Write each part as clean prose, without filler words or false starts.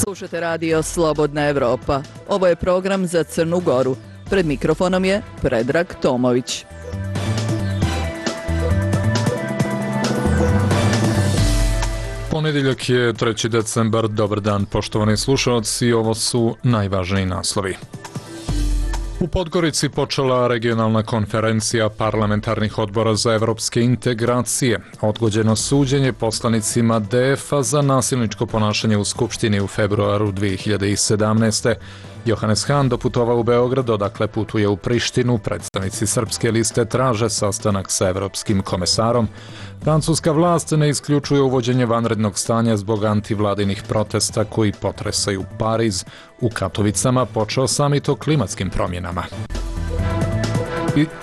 Slušate radio Slobodna Evropa. Ovo je program za Crnu Goru. Pred mikrofonom je Predrag Tomović. Ponedjeljak je 3. decembar. Dobar dan, poštovani slušalci. Ovo su najvažniji naslovi. U Podgorici počela regionalna konferencija parlamentarnih odbora za evropske integracije. Odgođeno suđenje poslanicima DF-a za nasilničko ponašanje u Skupštini u februaru 2017. Johannes Hahn doputovao u Beograd, odakle putuje u Prištinu. Predstavnici Srpske liste traže sastanak sa evropskim komesarom. Francuska vlast ne isključuje uvođenje vanrednog stanja zbog antivladinih protesta koji potresaju Pariz. U Katovicama počeo samit o klimatskim promjenama.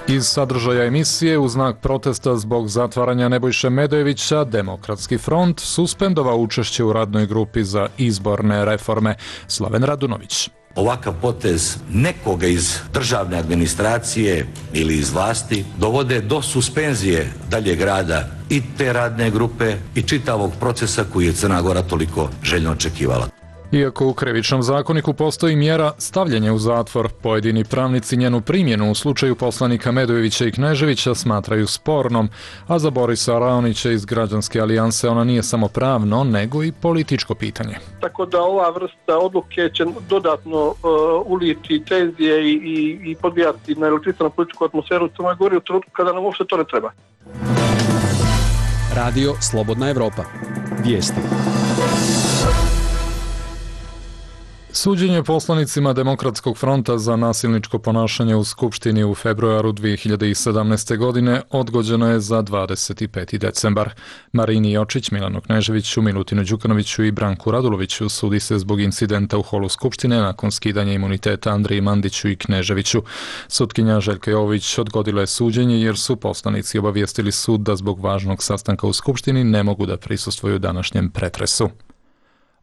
Iz sadržaja emisije, u znak protesta zbog zatvaranja Nebojše Medojevića, Demokratski front suspendovao učešće u radnoj grupi za izborne reforme. Slaven Radunović. Ovakav potez nekoga iz državne administracije ili iz vlasti dovode do suspenzije daljeg rada i te radne grupe i čitavog procesa koji je Crna Gora toliko željno očekivala. Iako u Krivičnom zakoniku postoji mjera stavljanja u zatvor, pojedini pravnici njenu primjenu u slučaju poslanika Medojevića i Kneževića smatraju spornom, a za Borisa Raonića iz Građanske alijanse ona nije samo pravno, nego i političko pitanje. Tako da ova vrsta odluke će dodatno uliti tenzije i podbijati na elektrisanu političku atmosferu u Crnoj Gori u trenutku kada nam uopšte to ne treba. Radio Slobodna Evropa. Vijesti. Suđenje poslanicima Demokratskog fronta za nasilničko ponašanje u Skupštini u februaru 2017. godine odgođeno je za 25. decembar. Marini Jočić, Milanu Kneževiću, Milutinu Đukanoviću i Branku Raduloviću sudi se zbog incidenta u holu Skupštine nakon skidanja imuniteta Andriji Mandiću i Kneževiću. Sutkinja Željka Jovović odgodila je suđenje jer su poslanici obavijestili sud da zbog važnog sastanka u Skupštini ne mogu da prisustvuju današnjem pretresu.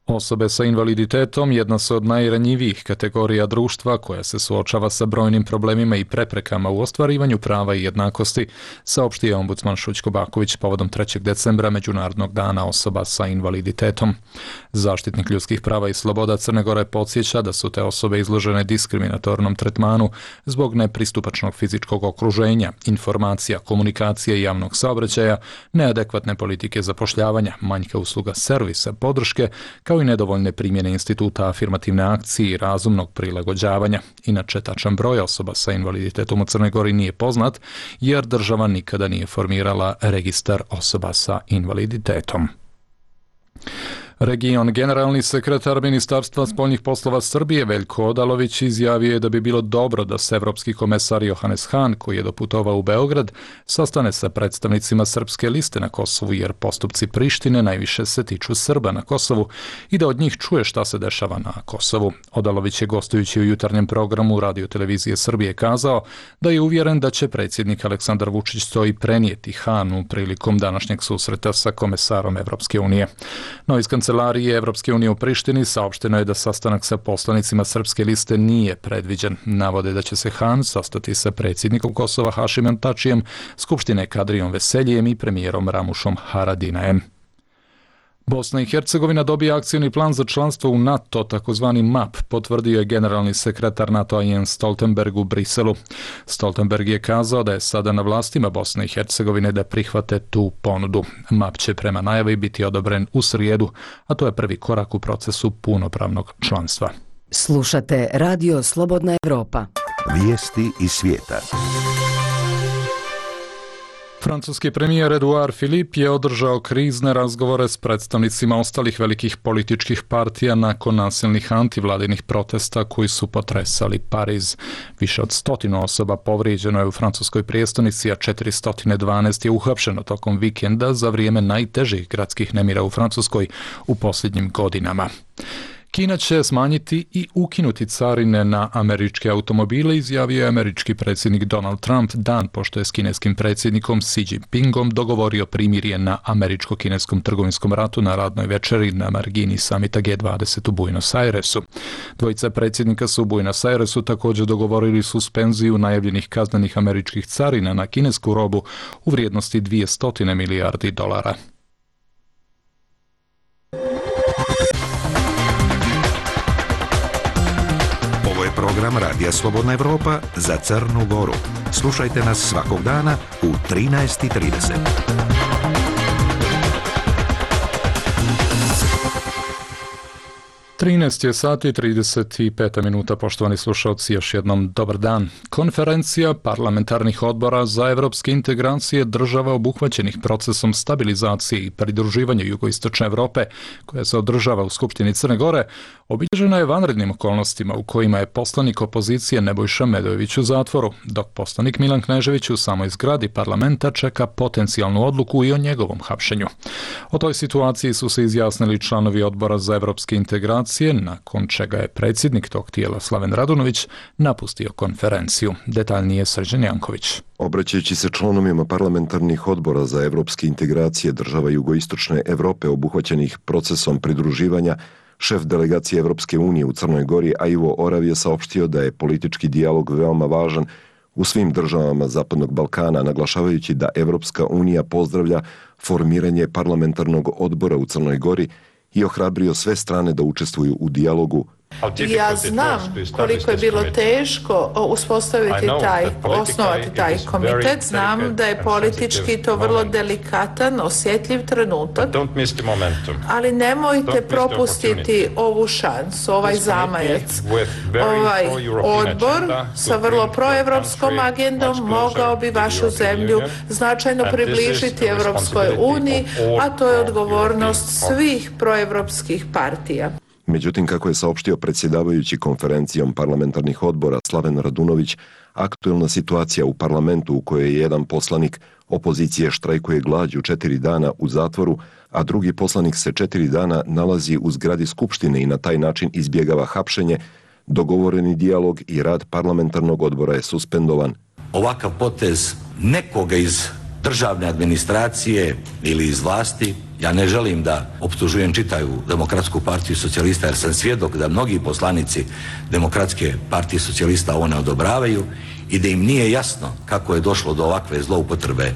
Osobe sa invaliditetom jedna su od najranjivijih kategorija društva koja se suočava sa brojnim problemima i preprekama u ostvarivanju prava i jednakosti, saopštio ombudsman Šućko Baković povodom 3. decembra Međunarodnog dana osoba sa invaliditetom. Zaštitnik ljudskih prava i sloboda Crne Gore podsjeća da su te osobe izložene diskriminatornom tretmanu zbog nepristupačnog fizičkog okruženja, informacija, komunikacije i javnog saobraćaja, neadekvatne politike zapošljavanja, manjka usluga servisa, podrške, kao i nedovoljne primjene instituta afirmativne akcije i razumnog prilagođavanja. Inače, tačan broj osoba sa invaliditetom u Crnoj Gori nije poznat, jer država nikada nije formirala registar osoba sa invaliditetom. Generalni sekretar Ministarstva spoljnih poslova Srbije Veljko Odalović izjavio je da bi bilo dobro da se evropski komesar Johannes Hahn, koji je doputovao u Beograd, sastane sa predstavnicima Srpske liste na Kosovu, jer postupci Prištine najviše se tiču Srba na Kosovu i da od njih čuje šta se dešava na Kosovu. Odalović je, gostujući u jutarnjem programu Radio televizije Srbije, kazao da je uvjeren da će predsjednik Aleksandar Vučić to i prenijeti Hahnu prilikom današnjeg susreta sa komesarom Evropske unije. No, iz Kancelarije Evropske unije u Prištini saopšteno je da sastanak sa poslanicima Srpske liste nije predviđen. Navode da će se Hahn sastati sa predsjednikom Kosova Hašimom Tačijem, Skupštine Kadrijom Veseljijem i premijerom Ramušom Haradinajem. Bosna i Hercegovina dobija akcioni plan za članstvo u NATO, takozvani MAP, potvrdio je generalni sekretar NATO-a Jens Stoltenberg u Briselu. Stoltenberg je kazao da je sada na vlastima Bosne i Hercegovine da prihvate tu ponudu. MAP će prema najavi biti odobren u srijedu, a to je prvi korak u procesu punopravnog članstva. Slušate Radio Slobodna Evropa. Vijesti iz svijeta. Francuski premijer Edouard Philippe je održao krizne razgovore s predstavnicima ostalih velikih političkih partija nakon nasilnih antivladinih protesta koji su potresali Pariz. Više od 100 osoba povrijeđeno je u francuskoj prijestolnici, a 412 je uhapšeno tokom vikenda za vrijeme najtežih gradskih nemira u Francuskoj u posljednjim godinama. Kina će smanjiti i ukinuti carine na američke automobile, izjavio je američki predsjednik Donald Trump dan pošto je s kineskim predsjednikom Xi Jinpingom dogovorio primirje na američko-kineskom trgovinskom ratu na radnoj večeri na margini samita G20 u Buenos Airesu. Dvojica predsjednika su u Buenos Airesu također dogovorili suspenziju najavljenih kaznenih američkih carina na kinesku robu u vrijednosti $200 milijardi. program Radija Slobodna Evropa za Crnu Goru. Slušajte nas svakog dana u 13:30. 13 je sati i 35 minuta, poštovani slušalci, još jednom dobar dan. Konferencija parlamentarnih odbora za evropske integracije država obuhvaćenih procesom stabilizacije i pridruživanja jugoistočne Evrope, koja se održava u Skupštini Crne Gore, obilježena je vanrednim okolnostima u kojima je poslanik opozicije Nebojša Medojević u zatvoru, dok poslanik Milan Knežević u samoj zgradi parlamenta čeka potencijalnu odluku i o njegovom hapšenju. O toj situaciji su se izjasnili članovi odbora za evropske integracije, nakon čega je predsjednik tog tijela Slaven Radunović napustio konferenciju. Detaljnije Srđan Janković. Obraćajući se članovima parlamentarnih odbora za evropske integracije država jugoistočne Evrope obuhvaćenih procesom pridruživanja, šef delegacije Evropske unije u Crnoj Gori, Ivo Orav, je saopštio da je politički dijalog veoma važan u svim državama Zapadnog Balkana, naglašavajući da Evropska unija pozdravlja formiranje parlamentarnog odbora u Crnoj Gori i ohrabrio sve strane da učestvuju u dijalogu. Ja znam koliko je bilo teško uspostaviti osnovati taj komitet. Znam da je politički to vrlo delikatan, osjetljiv trenutak, ali nemojte propustiti ovu šansu, ovaj zamajac. Ovaj odbor sa vrlo proevropskom agendom mogao bi vašu zemlju značajno približiti Evropskoj uniji, a to je odgovornost svih proevropskih partija. Međutim, kako je saopštio predsjedavajući konferencijom parlamentarnih odbora Slaven Radunović, aktuelna situacija u parlamentu u kojoj jedan poslanik opozicije štrajkuje glađu 4 dana u zatvoru, a drugi poslanik se 4 dana nalazi u zgradi Skupštine i na taj način izbjegava hapšenje, dogovoreni dijalog i rad parlamentarnog odbora je suspendovan. Ovakav potez nekoga iz državne administracije ili iz vlasti, ja ne želim da optužujem čitavu Demokratsku partiju socijalista, jer sam svjedok da mnogi poslanici Demokratske partije socijalista ovo ne odobravaju i da im nije jasno kako je došlo do ovakve zloupotrebe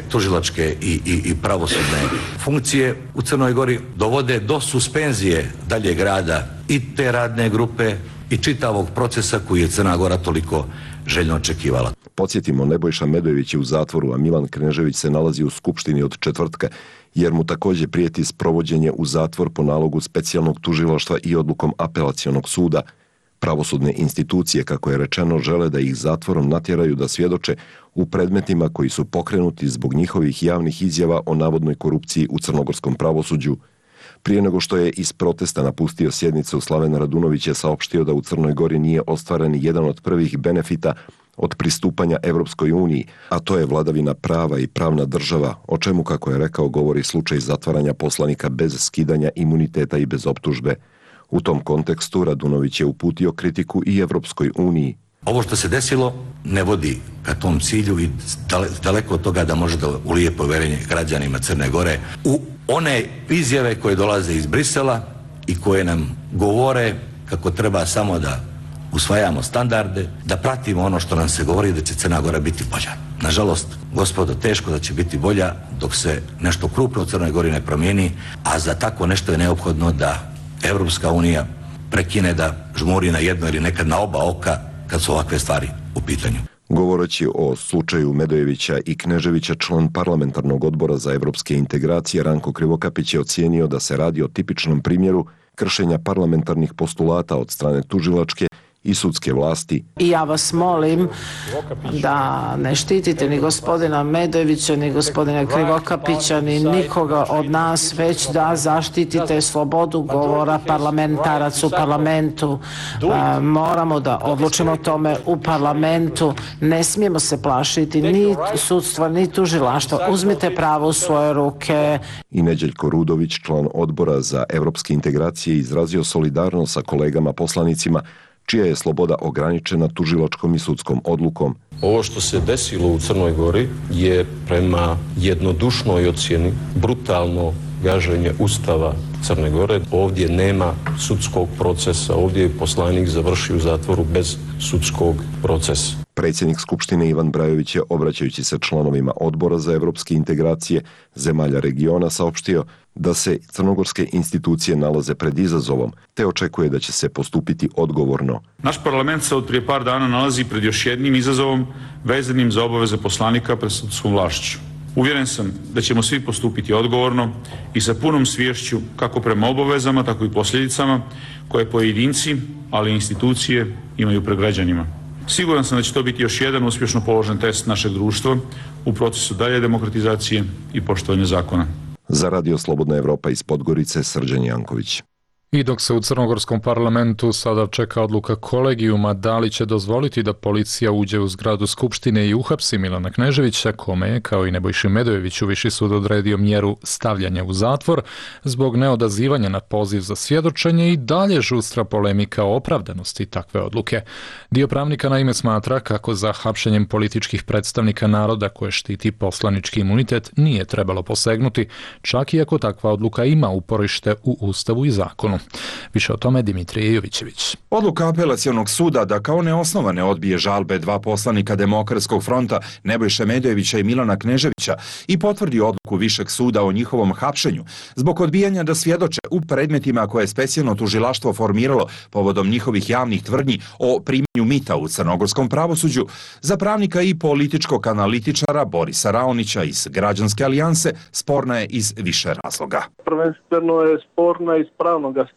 tužilačke i pravosudne funkcije u Crnoj Gori, dovode do suspenzije daljeg rada i te radne grupe i čitavog procesa koji je Crna Gora toliko željno očekivala. Podsjetimo, Nebojša Medojević je u zatvoru, a Milan Knežević se nalazi u Skupštini od četvrtka, jer mu također prijeti sprovođenje u zatvor po nalogu specijalnog tužilaštva i odlukom apelacionog suda. Pravosudne institucije, kako je rečeno, žele da ih zatvorom natjeraju da svjedoče u predmetima koji su pokrenuti zbog njihovih javnih izjava o navodnoj korupciji u crnogorskom pravosuđu. Prije nego što je iz protesta napustio sjednicu, Slaven Radunović je saopštio da u Crnoj Gori nije ostvaren jedan od prvih benefita od pristupanja Evropskoj uniji, a to je vladavina prava i pravna država, o čemu, kako je rekao, govori slučaj zatvaranja poslanika bez skidanja imuniteta i bez optužbe. U tom kontekstu Radunović je uputio kritiku i Evropskoj uniji. Ovo što se desilo ne vodi ka tom cilju i daleko od toga da može da ulije povjerenje građanima Crne Gore u one izjave koje dolaze iz Brisela i koje nam govore kako treba samo da usvajamo standarde, da pratimo ono što nam se govori da će Crna Gora biti bolja. Nažalost, gospodo, teško da će biti bolja dok se nešto krupno u Crnoj Gori ne promijeni, a za tako nešto je neophodno da Evropska unija prekine da žmuri na jedno ili nekad na oba oka kad su ovakve stvari u pitanju. Govoreći o slučaju Medojevića i Kneževića, član parlamentarnog odbora za evropske integracije Ranko Krivokapić je ocijenio da se radi o tipičnom primjeru kršenja parlamentarnih postulata od strane tužilačke i sudske vlasti. I ja vas molim da ne štitite ni gospodina Medojevića, ni gospodina Krivokapića, ni nikoga od nas, već da zaštitite slobodu govora parlamentaraca u parlamentu. Moramo da odlučimo o tome u parlamentu. Ne smijemo se plašiti ni sudstva, ni tužilaštva. Uzmite pravo u svoje ruke. I Neđeljko Rudović, član odbora za evropske integracije, izrazio solidarnost sa kolegama poslanicima čija je sloboda ograničena tužilačkom i sudskom odlukom. Ovo što se desilo u Crnoj Gori je prema jednodušnoj ocjeni brutalno gaženje Ustava Crne Gore. Ovdje nema sudskog procesa, ovdje je poslanik završio u zatvoru bez sudskog procesa. Predsjednik Skupštine Ivan Brajović je, obraćajući se članovima Odbora za evropske integracije zemalja regiona, saopštio da se crnogorske institucije nalaze pred izazovom, te očekuje da će se postupiti odgovorno. Naš parlament se od prije par dana nalazi pred još jednim izazovom vezanim za obaveze poslanika pred sudskom vlašću. Uvjeren sam da ćemo svi postupiti odgovorno i sa punom sviješću kako prema obavezama, tako i posljedicama koje pojedinci, ali i institucije imaju pred građanima. Siguran sam da će to biti još jedan uspješno položen test našeg društva u procesu dalje demokratizacije i poštovanja zakona. Za Radio Slobodna Evropa iz Podgorice, Srđan Janković. I dok se u crnogorskom parlamentu sada čeka odluka kolegijuma da li će dozvoliti da policija uđe u zgradu Skupštine i uhapsi Milana Kneževića, kome je, kao i Nebojši Medojeviću, Viši sud odredio mjeru stavljanja u zatvor zbog neodazivanja na poziv za svjedočenje, i dalje žustra polemika o opravdanosti takve odluke. Dio pravnika naime smatra kako za hapšenjem političkih predstavnika naroda koje štiti poslanički imunitet nije trebalo posegnuti, čak i ako takva odluka ima uporište u Ustavu i zakonu. Više o tome Dimitrije Jovićević. Odluka apelacionog suda da kao neosnovane odbije žalbe dva poslanika Demokratskog fronta Nebojše Medojevića i Milana Kneževića i potvrdi odluku Višeg suda o njihovom hapšenju zbog odbijanja da svjedoče u predmetima koje je specijalno tužilaštvo formiralo povodom njihovih javnih tvrdnji o primanju mita u crnogorskom pravosuđu, za pravnika i političkog analitičara Borisa Raonića iz Građanske alijanse sporna je iz više razloga. Prvenstveno je sporna iz pravnog aspekta.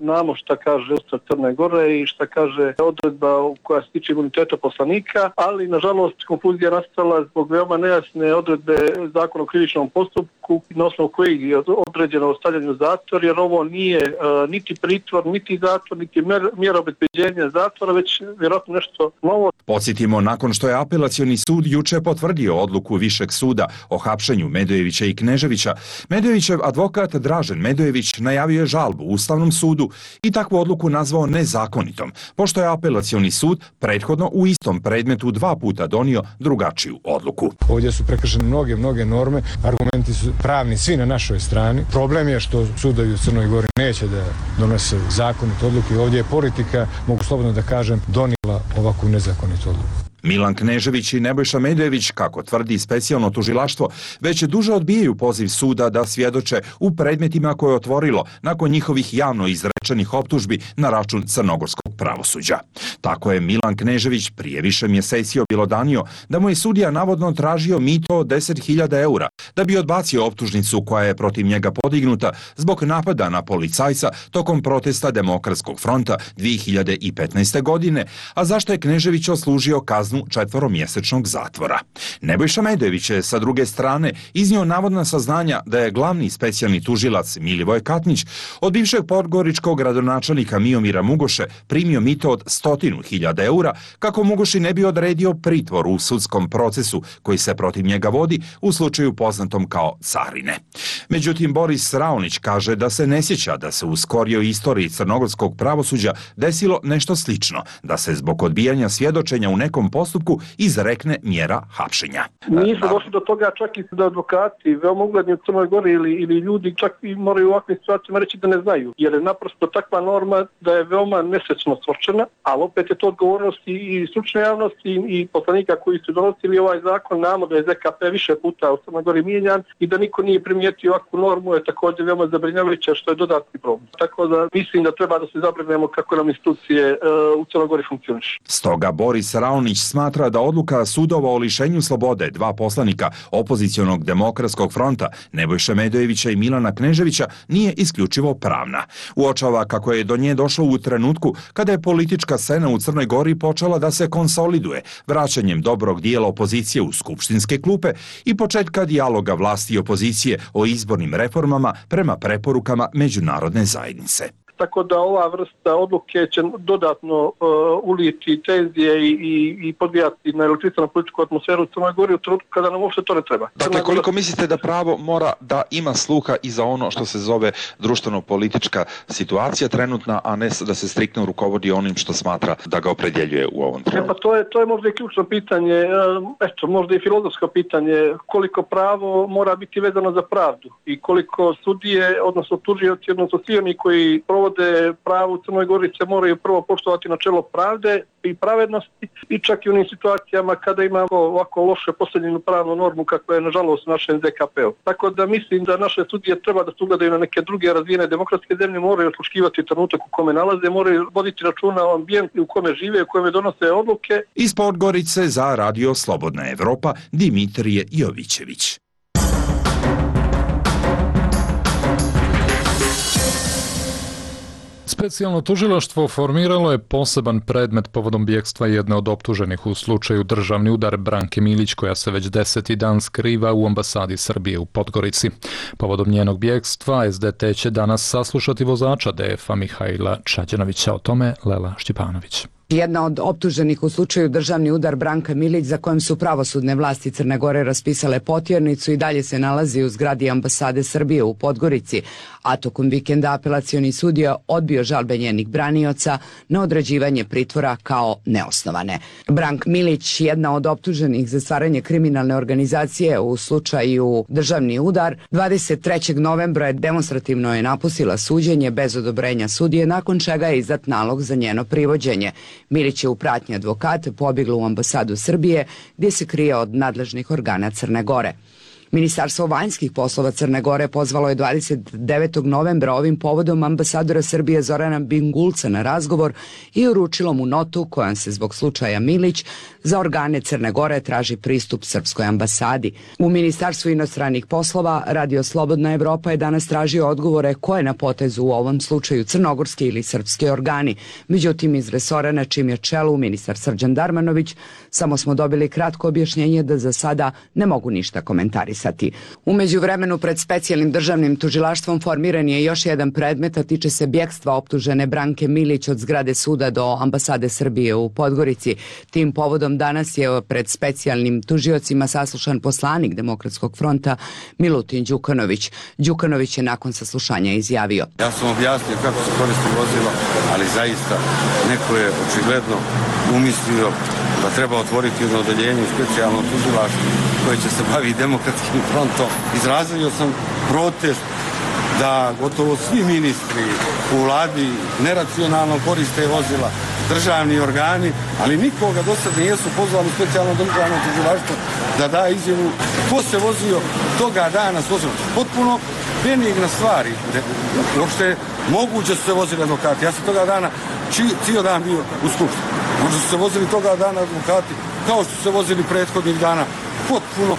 Znamo šta kaže Ustav Crne Gore i šta kaže odredba koja se tiče imuniteta poslanika, ali nažalost konfuzija nastala zbog veoma nejasne odredbe Zakona o krivičnom postupku na osnovu kojeg je određeno stavljanje u zatvor, jer ovo nije niti pritvor, niti zatvor, niti mjera obezbeđenja zatvora, već vjerojatno nešto novo. Podsjetimo, nakon što je apelacioni sud juče potvrdio odluku Višeg suda o hapšenju Medojevića i Kneževića, Medojevićev advokat Dražen Medojević najavio je žalbu Ustavnom sudu i takvu odluku nazvao nezakonitom, pošto je apelacioni sud prethodno u istom predmetu 2 puta donio drugačiju odluku. Ovdje su prekršene mnoge norme, argumenti su pravni svi na našoj strani. Problem je što sudovi u Crnoj Gori neće da donose zakonite odluke. Ovdje je politika, mogu slobodno da kažem, donijela ovakvu nezakonitu odluku. Milan Knežević i Nebojša Medojević, kako tvrdi specijalno tužilaštvo, već duže odbijaju poziv suda da svjedoče u predmetima koje je otvorilo nakon njihovih javno izrečenih optužbi na račun crnogorskog pravosuđa. Tako je Milan Knežević prije više mjeseci objelodanio da mu je sudija navodno tražio mito od 10.000 eura da bi odbacio optužnicu koja je protiv njega podignuta zbog napada na policajca tokom protesta Demokratskog fronta 2015. godine, a zašto je Knežević odslužio kaznu 4-mjesečnog zatvora. Nebojša Medojević je sa druge strane iznio navodna saznanja da je glavni specijalni tužilac Milivoj Katnić od bivšeg podgoričkog gradonačelnika Miomira Mugoše primio mito od 100.000 eura kako Mugoši ne bi odredio pritvor u sudskom procesu koji se protiv njega vodi u slučaju poznatom kao Carine. Međutim, Boris Raonić kaže da se ne sjeća da se u skorijoj istoriji crnogorskog pravosuđa desilo nešto slično, da se zbog odbijanja svjedočenja u nekom postupku izrekne mjera hapšenja. Nisu došli do toga čak i da advokati, veoma ugledni u Crnoj Gori ili ljudi čak i moraju u ovakvim situacijama reći da ne znaju, jer je naprosto takva norma da je veoma nesrećno stvorčena, ali opet je to odgovornost i stručne javnosti i poslanika koji su donosili ovaj zakon. Znamo da je ZKP više puta u Crnoj Gori mijenjan i da niko nije primijetio ovakvu normu je također veoma zabrinjavajuća, što je dodatni problem. Tako da mislim da treba da se zabrinemo kako nam institucije u Crnoj Gori funkcionišu. Stoga Boris Raonić smatra da odluka sudova o lišenju slobode dva poslanika opozicionog Demokratskog fronta Nebojše Medojevića i Milana Kneževića nije isključivo pravna. Uočava kako je do nje došlo u trenutku kada je politička scena u Crnoj Gori počela da se konsoliduje vraćanjem dobrog dijela opozicije u skupštinske klupe i početka dijaloga vlasti i opozicije o izbornim reformama prema preporukama međunarodne zajednice. Tako da ova vrsta odluke će dodatno uliti tenzije i podbijati na elektrisanu političku atmosferu u Crnoj Gori u trenutku kada nam uopšte to ne treba. Dakle, koliko mislite da pravo mora da ima sluha i za ono što se zove društveno-politička situacija trenutna, a ne da se striktno rukovodi onim što smatra da ga opredjeljuje u ovom trenutku? Pa to je možda i ključno pitanje, možda i filozofsko pitanje, koliko pravo mora biti vezano za pravdu i koliko sudije, odnosno tužioci, odnosno svi oni koji provode vode pravo u Crnoj Gori se moraju prvo poštovati načelo pravde i pravednosti i čak i u onim situacijama kada imamo ovako loše postavljenu pravnu normu kako je nažalost u našem ZKP-u. Tako da mislim da naše sudije treba da se ugledaju na neke druge razvijene demokratske zemlje, moraju osluškivati trenutak u kome nalaze, moraju voditi računa o ambijentu u kome žive, u kome donose odluke. Iz Podgorice za Radio Slobodna Evropa Dimitrije Jovićević. Specijalno tužilaštvo formiralo je poseban predmet povodom bjegstva jedne od optuženih u slučaju državni udar Branke Milić, koja se već 10. dan skriva u ambasadi Srbije u Podgorici. Povodom njenog bjegstva SDT će danas saslušati vozača DF-a Mihajla Čađanovića. O tome Lela Štjepanović. Jedna od optuženih u slučaju državni udar Branka Milić, za kojem su pravosudne vlasti Crne Gore raspisale potjernicu, i dalje se nalazi u zgradi ambasade Srbije u Podgorici, a tokom vikenda apelacioni sud je odbio žalbe njenih branioca na određivanje pritvora kao neosnovane. Brank Milić, jedna od optuženih za stvaranje kriminalne organizacije u slučaju državni udar, 23. novembra demonstrativno je napustila suđenje bez odobrenja sudije, nakon čega je izdat nalog za njeno privođenje. Milić je u pratnji advokata pobjegla u ambasadu Srbije, gdje se krije od nadležnih organa Crne Gore. Ministarstvo vanjskih poslova Crne Gore pozvalo je 29. novembra ovim povodom ambasadora Srbije Zorana Bingulca na razgovor i uručilo mu notu kojom se zbog slučaja Milić za organe Crne Gore traži pristup srpskoj ambasadi. U Ministarstvu inostranih poslova Radio Slobodna Evropa je danas tražio odgovore ko je na potezu u ovom slučaju crnogorski ili srpski organi. Međutim, iz resora na čim je čelu ministar Srđan Darmanović, samo smo dobili kratko objašnjenje da za sada ne mogu ništa komentarisati. U međuvremenu pred specijalnim državnim tužilaštvom formiran je još jedan predmet, a tiče se bjegstva optužene Branke Milić od zgrade suda do ambasade Srbije u Podgorici. Tim povodom danas je pred specijalnim tužiocima saslušan poslanik Demokratskog fronta Milutin Đukanović. Đukanović je nakon saslušanja izjavio: Ja sam objasnio kako se koristi vozilo, ali zaista neko je očigledno umislio da treba otvoriti jedno odeljenje u specijalnom tužilaštvu koje će se baviti Demokratskim frontom. Izrazio sam protest da gotovo svi ministri u vladi neracionalno koriste vozila, državni organi, ali nikoga do sada nisu pozvali u specijalno državno tužilaštvo da da izjavu ko se vozio toga dana s vozilom. Potpuno benigna stvari. Uopšte moguće su se vozili advokati. Ja sam toga dana cijel dan bio u skupštini. Možda su se vozili toga dana advokati kao što su se vozili prethodnih dana. Potpuno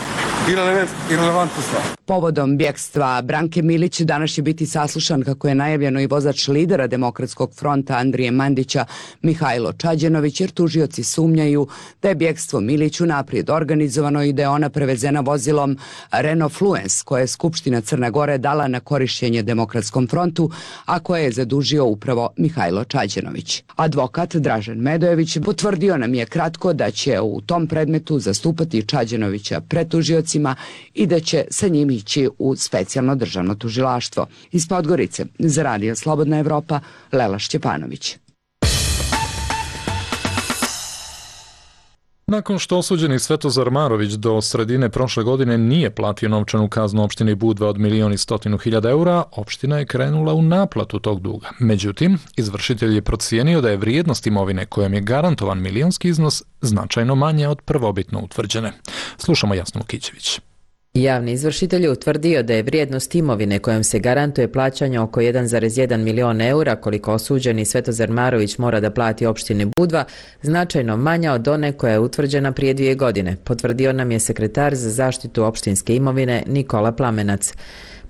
irelevantna stvar. Povodom bjegstva Branke Milić danas će biti saslušan, kako je najavljeno, i vozač lidera Demokratskog fronta Andrije Mandića Mihajlo Čađanović, jer tužioci sumnjaju da je bjegstvo Milić unaprijed organizovano i da je ona prevezena vozilom Renault Fluence koje je Skupština Crne Gore dala na korišćenje Demokratskom frontu, a koje je zadužio upravo Mihajlo Čađanović. Advokat Dražen Medojević potvrdio nam je kratko da će u tom predmetu zastupati Čađanovića pred tužiocima i da će sa njim ići u specijalno državno tužilaštvo. Iz Podgorice za Radio Slobodna Evropa, Lela Šćepanović. Nakon što osuđeni Svetozar Marović do sredine prošle godine nije platio novčanu kaznu opštini Budva od 1.100.000 eura, opština je krenula u naplatu tog duga. Međutim, izvršitelj je procijenio da je vrijednost imovine kojom je garantovan milionski iznos značajno manje od prvobitno utvrđene. Slušamo Jasnu Kićević. Javni izvršitelj je utvrdio da je vrijednost imovine kojom se garantuje plaćanje oko 1,1 milion eura, koliko osuđeni Svetozar Marović mora da plati opštini Budva, značajno manja od one koja je utvrđena prije 2 godine, potvrdio nam je sekretar za zaštitu opštinske imovine Nikola Plamenac.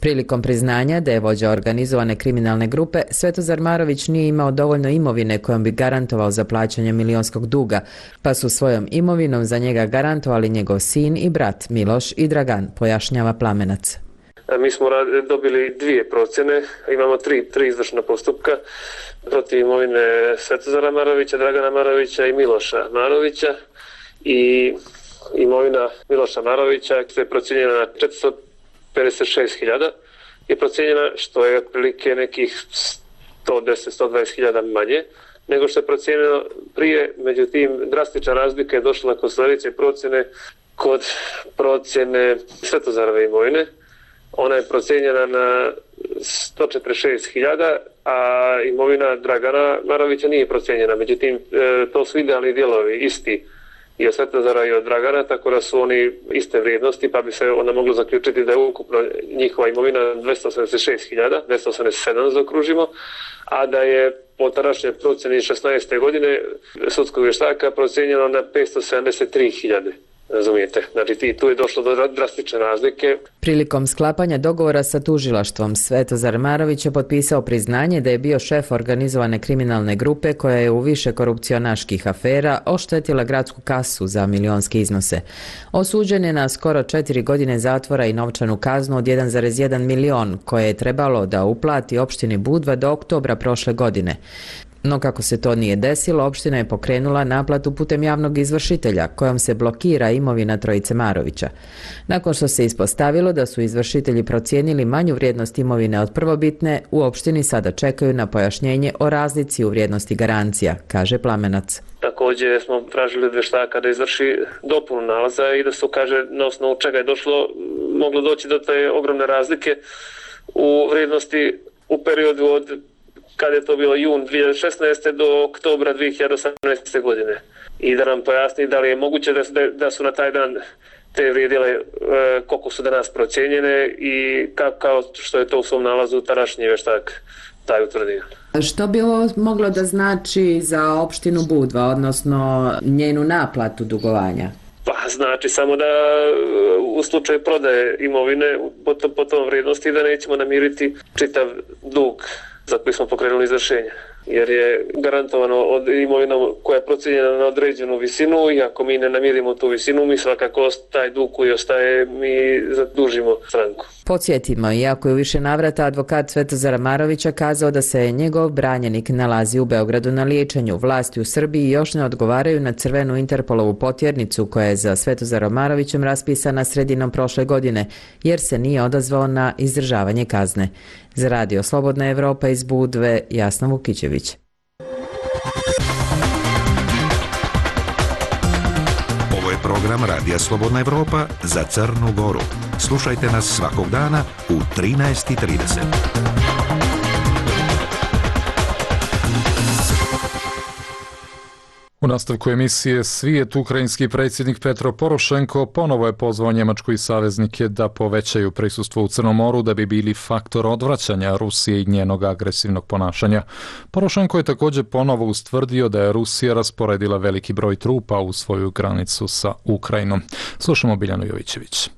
Prilikom priznanja da je vođa organizovane kriminalne grupe, Svetozar Marović nije imao dovoljno imovine kojom bi garantovao za plaćanje milionskog duga, pa su svojom imovinom za njega garantovali njegov sin i brat Miloš i Dragan, pojašnjava Plamenac. Mi smo dobili 2 procjene, imamo 3 izvršna postupka protiv imovine Svetozara Marovića, Dragana Marovića i Miloša Marovića, i imovina Miloša Marovića je procijenjena na 456.000 je procijenjena, što je otprilike nekih 110-120.000 manje nego što je procijenjeno prije. Međutim, drastična razlika je došla kod sljedeće procjene, kod procjene Svetozarove imovine. Ona je procijenjena na 146.000, a imovina Dragana Marovića nije procijenjena. Međutim, to su idealni dijelovi isti i od Svetozara i od Dragana, tako da su oni iste vrijednosti, pa bi se onda moglo zaključiti da je ukupno njihova imovina 286.000, 287 zaokružimo, a da je po tadašnjoj procjeni 16. godine sudskog vještaka procijenjeno na 573.000. Razumijete? Znači tu je došlo do drastične razlike. Prilikom sklapanja dogovora sa tužilaštvom, Svetozar Marović je potpisao priznanje da je bio šef organizovane kriminalne grupe koja je u više korupcionaških afera oštetila gradsku kasu za milionske iznose. Osuđen je na skoro 4 godine zatvora i novčanu kaznu od 1,1 milion koje je trebalo da uplati opštini Budva do oktobra prošle godine. No kako se to nije desilo, opština je pokrenula naplatu putem javnog izvršitelja, kojom se blokira imovina trojice Marovića. Nakon što se ispostavilo da su izvršitelji procijenili manju vrijednost imovine od prvobitne, u opštini sada čekaju na pojašnjenje o razlici u vrijednosti garancija, kaže Plamenac. Također smo tražili od vještaka da izvrši dopunu nalaza i da su, kaže, na osnovu čega je moglo doći do te ogromne razlike u vrijednosti u periodu od kada je to bilo jun 2016. do oktobra 2018. godine. I da nam pojasni da li je moguće da su na taj dan te vrijedile koliko su danas procijenjene i kao što je to u svom nalazu tadašnji vještak taj utvrdio. Što bi ovo moglo da znači za opštinu Budva, odnosno njenu naplatu dugovanja? Pa znači samo da u slučaju prodaje imovine po tom vrijednosti da nećemo namiriti čitav dug za koji smo pokrenuli izvršenje. Jer je garantovano od imovina koja je procijenjena na određenu visinu i ako mi ne namirimo tu visinu, mi svakako taj dug koji ostaje, mi zadužimo stranku. Podsjetimo, iako je u više navrata advokat Svetozara Marovića kazao da se njegov branjenik nalazi u Beogradu na liječenju, vlasti u Srbiji još ne odgovaraju na crvenu Interpolovu potjernicu koja je za Svetozarom Marovićem raspisana sredinom prošle godine, jer se nije odazvao na izdržavanje kazne. Za Radio Slobodna Evropa iz Budve, Jasna Vukićević. Ovo je program Radija Slobodna Evropa za Crnu Goru. Slušajte nas svakog dana u 13:30. U nastavku emisije Svijet, ukrajinski predsjednik Petro Porošenko ponovo je pozvao Njemačku i saveznike da povećaju prisustvo u Crnom moru da bi bili faktor odvraćanja Rusije i njenog agresivnog ponašanja. Porošenko je također ponovo ustvrdio da je Rusija rasporedila veliki broj trupa u svoju granicu sa Ukrajinom. Slušamo Biljanu Jovićević.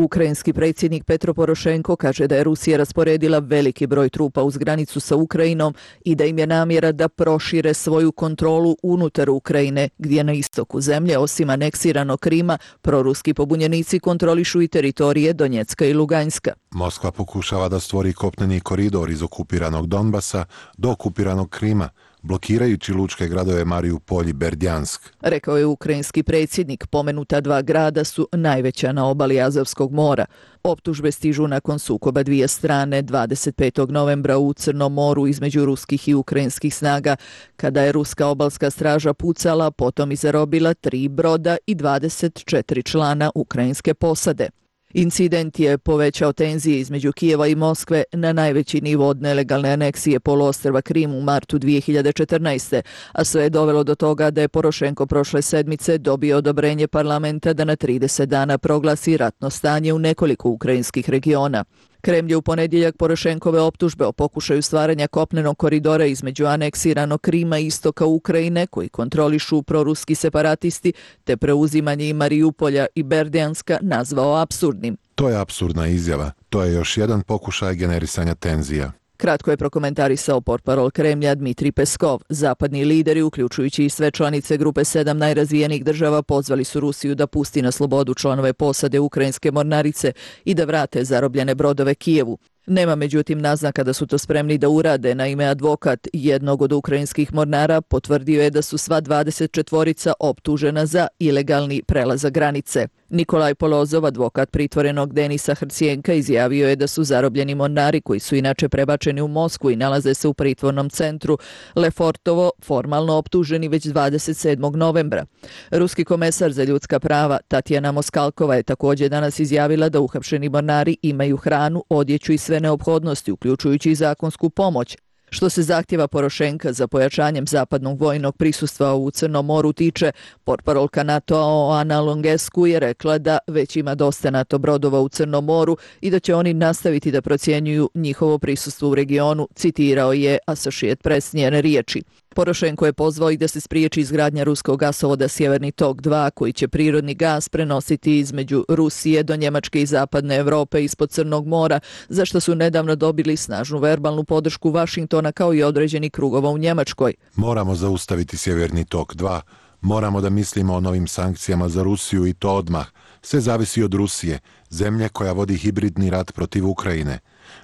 Ukrajinski predsjednik Petro Porošenko kaže da je Rusija rasporedila veliki broj trupa uz granicu sa Ukrajinom i da im je namjera da prošire svoju kontrolu unutar Ukrajine, gdje na istoku zemlje, osim aneksiranog Krima, proruski pobunjenici kontrolišu i teritorije Donjecka i Luganjska. Moskva pokušava da stvori kopneni koridor iz okupiranog Donbasa do okupiranog Krima, blokirajući lučke gradove Mariupolj i Berdjansk. Rekao je ukrajinski predsjednik, pomenuta dva grada su najveća na obali Azovskog mora. Optužbe stižu nakon sukoba dvije strane 25. novembra u Crnom moru između ruskih i ukrajinskih snaga, kada je ruska obalska straža pucala, potom i zarobila 3 broda i 24 člana ukrajinske posade. Incident je povećao tenzije između Kijeva i Moskve na najveći nivo od nelegalne aneksije poluostrva Krim u martu 2014. A sve je dovelo do toga da je Porošenko prošle sedmice dobio odobrenje parlamenta da na 30 dana proglasi ratno stanje u nekoliko ukrajinskih regiona. Kremlj je u ponedjeljak Porošenkove optužbe o pokušaju stvaranja kopnenog koridora između aneksiranog Krima i istoka Ukrajine, koji kontrolišu proruski separatisti, te preuzimanje i Mariupolja i Berdjanska nazvao apsurdnim. To je apsurdna izjava. To je još jedan pokušaj generisanja tenzija. Kratko je prokomentarisao portparol Kremlja Dmitrij Peskov. Zapadni lideri, uključujući i sve članice grupe 7 najrazvijenijih država, pozvali su Rusiju da pusti na slobodu članove posade ukrajinske mornarice i da vrate zarobljene brodove Kijevu. Nema međutim naznaka da su to spremni da urade. Naime, advokat jednog od ukrajinskih mornara potvrdio je da su sva 24 optužena za ilegalni prelazak granice. Nikolaj Polozov, advokat pritvorenog Denisa Hrcijenka, izjavio je da su zarobljeni mornari, koji su inače prebačeni u Moskvu i nalaze se u pritvornom centru Lefortovo, formalno optuženi već 27. novembra. Ruski komesar za ljudska prava Tatjana Moskalkova je također danas izjavila da uhapšeni mornari imaju hranu, odjeću i sve neophodnosti, uključujući i zakonsku pomoć. Što se zahtjeva Porošenka za pojačanjem zapadnog vojnog prisustva u Crnom moru tiče, portparolka NATO-a Ana Longescu je rekla da već ima dosta NATO brodova u Crnom moru i da će oni nastaviti da procjenjuju njihovo prisustvo u regionu, citirao je Associated Press njene riječi. Porošenko je pozvao i da se spriječi izgradnja ruskog gasovoda Sjeverni tok 2, koji će prirodni gas prenositi između Rusije do Njemačke i zapadne Europe ispod Crnog mora, za što su nedavno dobili snažnu verbalnu podršku Vašingtona kao i određeni krugova u Njemačkoj. Moramo zaustaviti Sjeverni tok 2, moramo da mislimo o novim sankcijama za Rusiju i to odmah. Sve zavisi od Rusije, zemlje koja vodi hibridni rat protiv Ukrajine.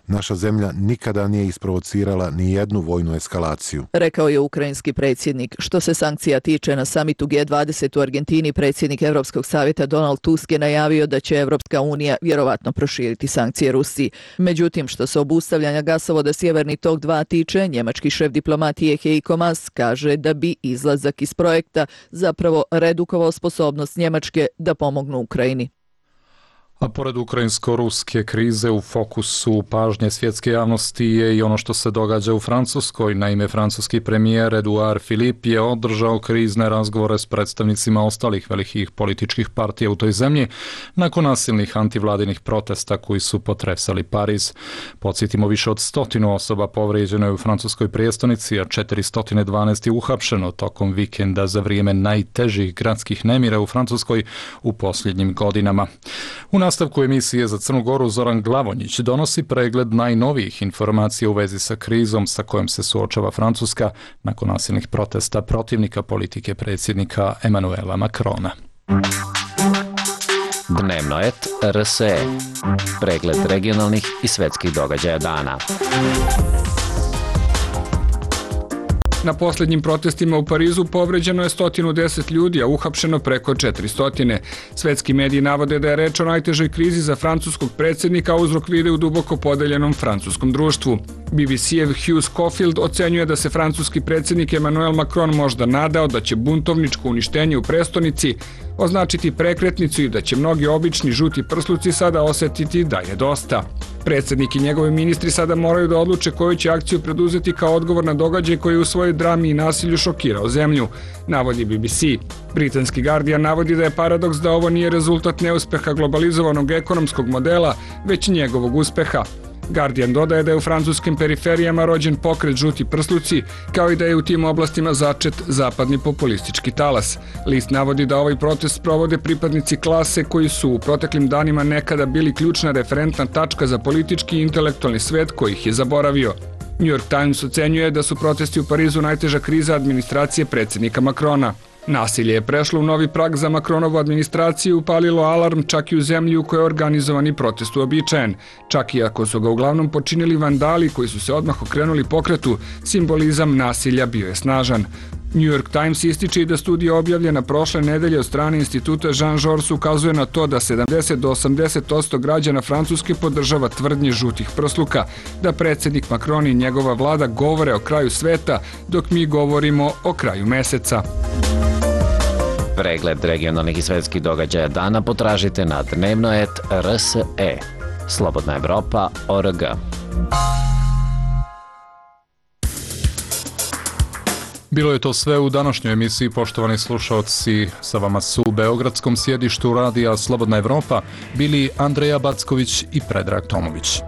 Naša zemlja nikada nije isprovocirala ni jednu vojnu eskalaciju, rekao je ukrajinski predsjednik. Što se sankcija tiče, na samitu G20 u Argentini predsjednik Europskog savjeta Donald Tusk je najavio da će Europska unija vjerovatno proširiti sankcije Rusiji. Međutim, što se obustavljanja gasovoda Sjeverni tok 2 tiče, njemački šef diplomatije Heiko Maas kaže da bi izlazak iz projekta zapravo redukovao sposobnost Njemačke da pomognu Ukrajini. A pored ukrajinsko-ruske krize u fokusu pažnje svjetske javnosti je i ono što se događa u Francuskoj. Naime, francuski premijer Edouard Philippe je održao krizne razgovore s predstavnicima ostalih velikih političkih partija u toj zemlji nakon nasilnih antivladinih protesta koji su potresali Pariz. Podsjetimo, više od 100 osoba povrijeđeno je u francuskoj prijestolnici, a 412 je uhapšeno tokom vikenda za vrijeme najtežih gradskih nemira u Francuskoj u posljednjim godinama. U nastavku emisije za Crnu Goru Zoran Glavonjić donosi pregled najnovijih informacija u vezi sa krizom sa kojom se suočava Francuska nakon nasilnih protesta protivnika politike predsjednika Emmanuela Macrona. Dnevno et RSE. Pregled regionalnih i svjetskih događaja dana. Na posljednjim protestima u Parizu povređeno je 110 ljudi, a uhapšeno preko 400. Svetski mediji navode da je reč o najtežoj krizi za francuskog predsjednika, a uzrok vide u duboko podeljenom francuskom društvu. BBC-ev Hugh Schofield ocenjuje da se francuski predsjednik Emmanuel Macron možda nadao da će buntovničko uništenje u prestonici označiti prekretnicu i da će mnogi obični žuti prsluci sada osjetiti da je dosta. Predsjednik i njegovi ministri sada moraju da odluče koju će akciju preduzeti kao odgovor na događaj koji je u svojoj drami i nasilju šokirao zemlju, navodi BBC. Britanski Guardian navodi da je paradoks da ovo nije rezultat neuspeha globalizovanog ekonomskog modela, već njegovog uspeha. Guardian dodaje da je u francuskim periferijama rođen pokret žuti prsluci, kao i da je u tim oblastima začet zapadni populistički talas. List navodi da ovaj protest provode pripadnici klase koji su u proteklim danima nekada bili ključna referentna tačka za politički i intelektualni svet koji ih je zaboravio. New York Times ocenjuje da su protesti u Parizu najteža kriza administracije predsjednika Macrona. Nasilje je prešlo u novi prag za Macronovu administraciju, upalilo alarm čak i u zemlji u kojoj je organizovani protest uobičajen. Čak i ako su ga uglavnom počinili vandali koji su se odmah okrenuli pokretu, simbolizam nasilja bio je snažan. New York Times ističe i da studija objavljena prošle nedelje od strane instituta Jean Jaurès ukazuje na to da 70 do 80% građana Francuske podržava tvrdnje žutih prsluka, da predsjednik Macron i njegova vlada govore o kraju sveta, dok mi govorimo o kraju meseca. Pregled regionalnih i svjetskih događaja dana potražite na dnevno et RSE. Slobodna Evropa.org. Bilo je to sve u današnjoj emisiji, poštovani slušalci. Sa vama su u beogradskom sjedištu radija Slobodna Evropa bili Andreja Backović i Predrag Tomović.